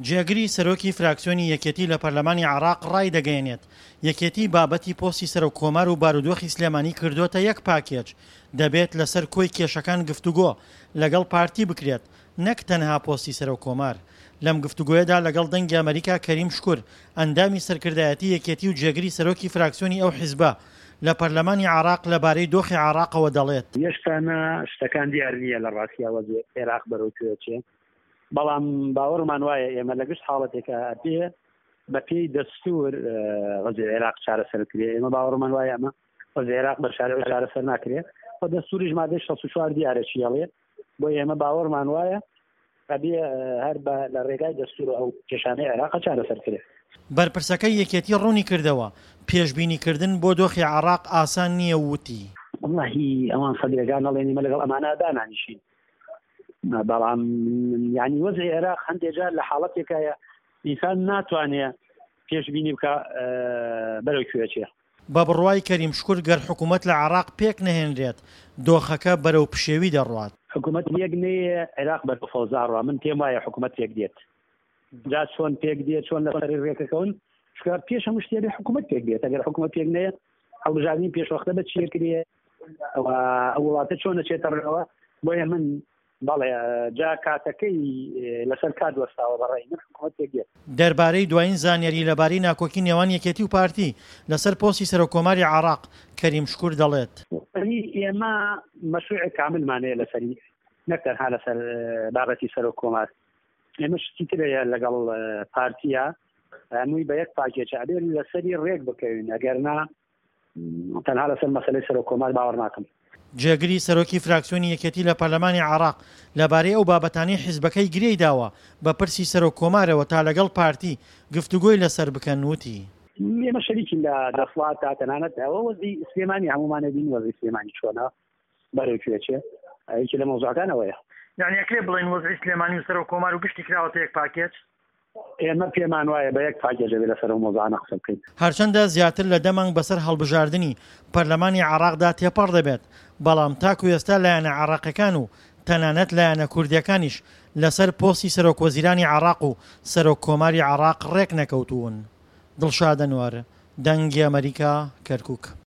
جێگری سەرۆکی فراکسیۆنی یەکێتی لە پەرلەمانی عێراق ڕایدەگەیەنێت، یەکێتی بابەتی پۆستی سەرۆک کۆمار و بارودۆخی سلێمانی کردۆتە یەک پاکێج، دەبێت لەسەر کۆی کێشەکان گفتوگۆ لەگەڵ پارتی بکرێت نەک تەنها پۆستی سەرۆک کۆمار. لەم گفتوگۆیەدا لەگەڵ دەنگی ئەمەریکا کەریم شکور، ئەندامی سەرکردایەتی یەکێتی و جێگری سەرۆکی فراکسیۆنی ئەو حیزبە لە پەرلەمانی عێراق لەبارەی دۆخی عێراقەوە دەڵێت. هێشتا نا شتەکان دیار نییە لە ڕاستیا وەزعی عێراق بەرەو کوێ ئەچێ. بەڵام باوەڕمان وایە ئێمە لە گشت حاڵەتێکا ئەبێ بە پێی دەستوور وەزعی عێراق چارەسەر بکرێ. ئێمە باوەڕمان وایە ئەمە وەزعی عێراق بە شارع چارەسەر ناکرێ و دەستووریش مادەی 64 دیارە چی ئەڵێ. بۆ ئێمە باوەڕمان وایە ئەبێ هەر بە لە ڕێگای دەستوور ئەو کێشانەی عێراق چارەسەر کرێ. بەرپرسەکەی یەکێتی ڕوونی کردەوە، پێشبینیکردن بۆ دۆخی عێراق ئاسان نییە و وتی. وەڵاهی ئەوان سەدرەکان ئەڵێن ئێمە لەگەڵ ئەمانە دانانیشین. بەڵام یعنی وەزعی عێراق هەندێک جار لە حاڵەتێکایە ئینسان ناتوانێ پێشبینی بکە بەرەو کوێ چێ. بە بڕوای کەریم شکور گەر حکوومەت لە عێراق پێک نەهێنرێت دۆخەکە بەرەو پشێوی دەڕوات. حکوومەت یەک نەیێ عێراق بەرەو فەوزا ڕوا من پێم وایە حکوومەت پێک دێت جا چۆن پێک دێت چۆن لەسەری ڕێکەکەون چونکە پێش هەموو شتێ بێ حکوومەت پێک بێت ئەگەر حکوومەت پێک نەیە هەڵبژاردنی پێشوەختە بە چیە کرێ ئەو وڵاتە چۆن ئەچێتە ڕێوە بۆیە من بەڵێ جا کاتەکەی لەسەر کات وەستاوە بەڕای من حکوومەت پێک دێت. دەربارەی دوایین زانیاری لەبارەی ناکۆکی نێوان یەکێتی و پارتی لەسەر پۆستی سەرۆککۆماری عێراق، کەریم شکور دەڵێت. یەعنی ئێمە مەشروعێک کاملمان هەیە لەسەری نەک تەنها لەسەر بابەتی سەرۆککۆمار ئێمە شتی تر هەیە لەگەڵ پارتیە هەمووی بە یەک پاکێچە ئەبێ لەسەری ڕێک بکەوین ئەگەر نا تەنها لەسەر مەسەلەی سەرۆک کۆمار باوەڕ ناکەم. جێگری سەرۆکی فراکسیۆنی یەکێتی لە پەرلەمانی عێراق لەبارەی ئەو بابەتانەی حیزبەکەی گرێی داوە بە پرسی سەرۆک کۆمارەوە تا لەگەڵ پارتی گفتوگۆی لەسەر بکەن وتی. ئێمە شەریکین لە دەسڵاتدا تەنانەت ئەوە وەزعی سلێمانی هەموومان ئەبینین وەزعی سلێمانی چۆنە بەرەو کوێ چێ یەکێ لە مەوزوعەکان ئەوەیە. یانی ئەکرێ بڵێین وەزعی سلێمانی و سەرۆک کۆمار و گشتی کراوەتە یەک پاکێج؟ ئێمە پێمان وایە بە یەک پاکێج ئەبێ لەسەر ئەو مەوزوعانە قسە بکەین. هەرچەندە زیاتر لە دە مانگ بەسەر هەڵبژاردنی پەرلەمانی عێراقدا تێپەڕ دەبێت، بەڵام تاکو ئێستا لایەنە عێراقیەکان و تەنانەت لایەنە کوردیەکانیش لەسەر پۆستی سەرۆکوەزیرانی عێراق و سەرۆک کۆماری عێراق ڕێکنەکەوتوون. دڵشاد ئەنوەر، دەنگی ئەمەریکا، کەرکوک.